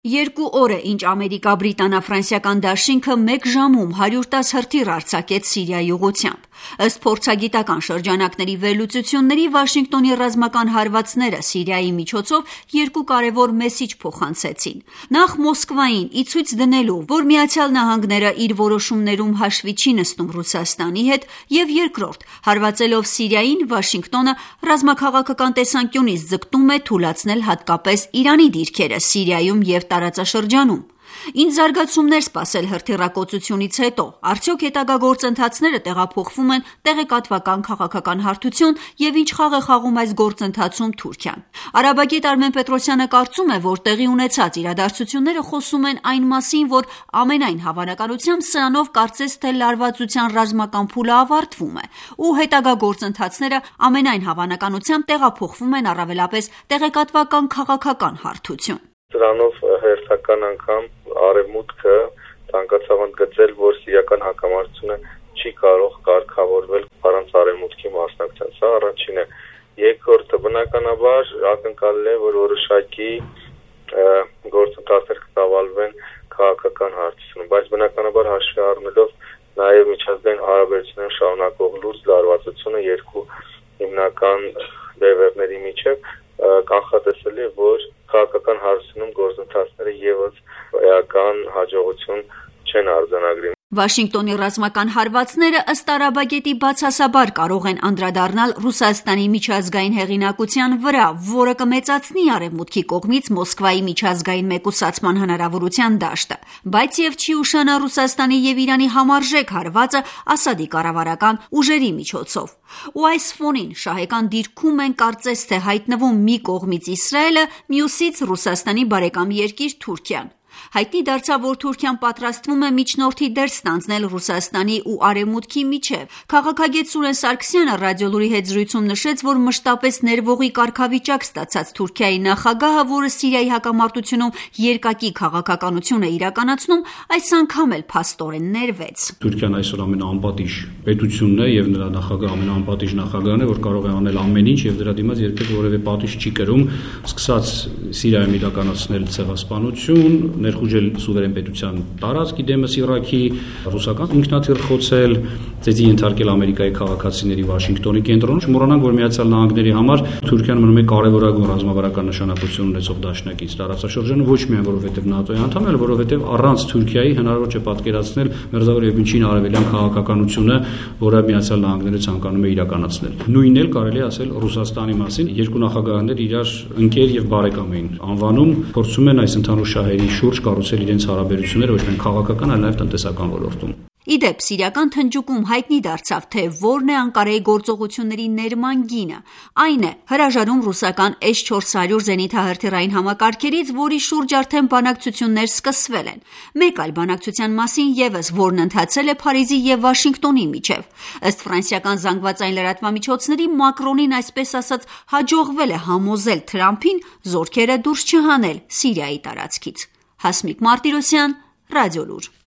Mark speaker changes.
Speaker 1: 2 օր է, ինչ ամերիկա-բրիտանա-ֆրանսիական դաշինքը 1 ժամում 110 հրթիռ արձակեց Սիրիայի ուղղությամբ։ Ըստ փորձագիտական շրջանակների վերլուծությունների, Վաշինգտոնի ռազմական հարվածները Սիրիայի միջոցով 2 կարևոր մեսիջ փոխանցեցին։ Նախ Մոսկվային ի ցույց դնելու, որ ԱՄՆ-ը իր որոշումներում հաշվի չի նստում Ռուսաստանի հետ, եւ երկրորդ, հարվածելով Սիրիային, Վաշինգտոնը ռազմաքաղաքական տեսանկյունից ձգտում է թուլացնել հատկապես Իրանի դիրքերը Սիրիայում եւ տարածաշրջանում։ Ինչ զարգացումներ սպասել հրթիռակոծությունից հետո, արդյոք հետագա գործընթացները տեղափոխվում են տեղեկատվական քաղաքական հարթություն եւ ինչ խաղ է խաղում այս գործընթացում Թուրքիան։ Արաբագետ Արմեն Պետրոսյանը կարծում է, որ տեղի ունեցած իրադարձությունները խոսում են այն մասին, որ ամենայն հավանականությամբ սրանով կարծես թե լարվածության ռազմական փուլը ավարտվում է, ու հետագա գործընթացները ամենայն հավանականությամբ տեղափոխվում են առավելապես տեղեկատվական քաղաքական հարթություն։
Speaker 2: Դրանով հերթական անգամ Արևմուտքը ցանկացավ ընդգծել, որ սիրիական հակամարտությունը չի կարող կարգավորվել առանց Արևմուտքի մասնակցության։ Սա առաջինն է։ Երկրորդը, բնականաբար ակնկալել է, որ որոշակի գործընթացներ կտավալվեն քաղաքական հարցությունում, բայց բնականաբար հաշվի առնելով նաև միջազգային հարաբերությունները շարունակող լուրջ լարվածությունը երկու հիմնական բևեռների միջև կանխատեսելի է, որ քաղաքական հարցությունում գործընթացները եւս էական հաջողություն չեն արձանագրի։
Speaker 1: Վաշինգտոնի ռազմական հարվածները ըստ արաբագետի բացասաբար կարող են անդրադառնալ Ռուսաստանի միջազգային հեղինակության վրա, որը կմեծացնի Արևմուտքի կողմից Մոսկվայի միջազգային մեկուսացման հնարավորության դաշտը, բայց եւ չի ուշանա Ռուսաստանի եւ Իրանի համարժեք հարվածը Ասադի կառավարական ուժերի միջոցով։ Ու այս ֆոնին շահեկան դիրքում են կարծես թե հայտնվում մի կողմից Իսրայելը, մյուսից Ռուսաստանի բարեկամ երկիր Թուրքիան։ Հայտնի դարձավ, որ Թուրքիան պատրաստվում է միջնորդի դեր ստանձնել Ռուսաստանի ու Արևմուտքի միջև։ Քաղաքագետ Սուրեն Սարգսյանը ռադիոլուրի հետ զրույցում նշեց, որ մշտապես ներվողի կարգավիճակ ստացած Թուրքիայի նախագահը, որը Սիրիայի հակամարտությունում երկակի քաղաքականություն է իրականացնում, այս անգամ էլ փաստորեն ներվեց։
Speaker 3: Թուրքիան այսօր ամենաանպատիժ պետությունն է եւ նրա նախագահը ամենաանպատիժ նախագահն է, որ կարող է անել ամեն ինչ եւ դրա դիմաց երբեք որևէ պատիժ չի կրում, սկսած Սիրիայում իրականացնել ցեղասպանություն, ներխուժել սուվերեն պետության տարածքի դեմս Իրաքի, ռուսական ինքնաթիռ խոցել, ծեծի ենթարկել Ամերիկայի քաղաքացիների Վաշինգտոնի կենտրոնում։ Չմոռանանք, որ Միացյալ Նահանգների համար Թուրքիան մնում է կարևորագույն ռազմավարական նշանակություն ունեցող դաշնակից տարածաշրջանում, ոչ միայն որովհետև ՆԱՏՕ-ի անդամ է, այլ որովհետև առանց Թուրքիայի հնարավոր չէ պատկերացնել Մերձավոր եւ Միջին Արևելյան քաղաքականությունը, որը Միացյալ Նահանգները ցանկանում է իրականացնել։ Նույնն էլ կարելի է ասել Ռուսաստանի մասին։ Երկու նախագահներ իրար ընկեր եւ բարեկամ էին անվանում, փորձում են այս ընդհանուր շահերի շուրջ կառուցել իրենց հարաբերությունները ոչ միայն քաղաքական, այլ նաև տնտեսական ոլորտում։
Speaker 1: Իդեպ, սիրիական թնջուկում հայտնի դարձավ, թե որն է Անկարայի գործողությունների ներման գինը։ Այն է հրաժարում ռուսական S-400 զենիթահրթիռային համակարգերից, որի շուրջ արդեն բանակցություններ սկսվել են։ Մեկ այլ բանակցության մասին եւս, որն ընթացել է Փարիզի եւ Վաշինգտոնի միջև։ Ըստ ֆրանսիական զանգվածային լրատվամիջոցների, Մակրոնին այսպես ասած հաջողվել է համոզել Թրամփին զորքերը դուրս չհանել Սիրիայի տարածքից։ Հասմիկ Մարտիրոսյան, Ռադիոլուր։